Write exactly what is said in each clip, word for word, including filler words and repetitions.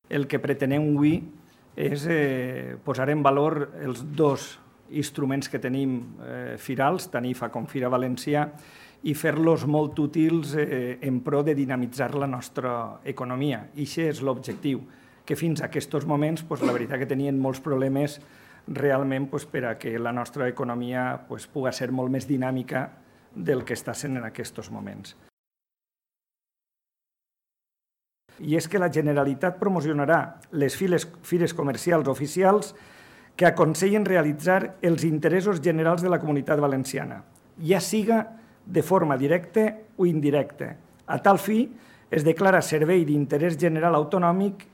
El que pretenem avui és eh, posar en valor els dos instruments que tenim eh, firals, tant I F A com Fira Valencià, i fer-los molt útils eh, en pro de dinamitzar la nostra economia. I això és l'objectiu, que fins a aquests moments pues, la veritat que tenien molts problemes realment pues, per a que la nostra economia pues, pugui ser molt més dinàmica del que està sent en aquests moments. I és que la Generalitat promocionarà les fires, fires comercials oficials que aconsellen realitzar els interessos generals de la Comunitat Valenciana, ja siga de forma directa o indirecta. A tal fi, es declara servei d'interès general autonòmic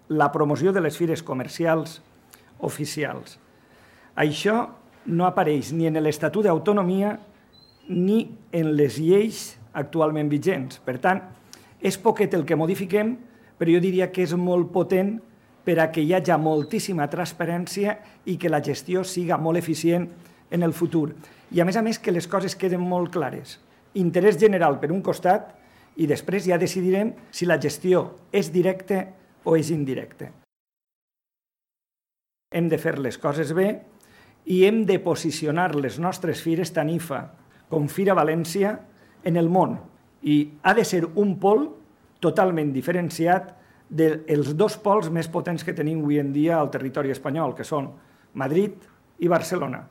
la promoció de les fires comercials oficials. Això no apareix ni en l'Estatut d'Autonomia ni en les lleis actualment vigents. Per tant, és poquet el que modifiquem, però jo diria que és molt potent per a que hi hagi moltíssima transparència i que la gestió siga molt eficient en el futur. I a més a més que les coses queden molt clares. Interès general per un costat i després ja decidirem si la gestió és directa o és indirecta. Hem de fer les coses bé i hem de posicionar les nostres fires, tant I F A com Fira València, en el món. I ha de ser un pol totalment diferenciat dels dos pols més potents que tenim avui en dia al territori espanyol, que són Madrid i Barcelona.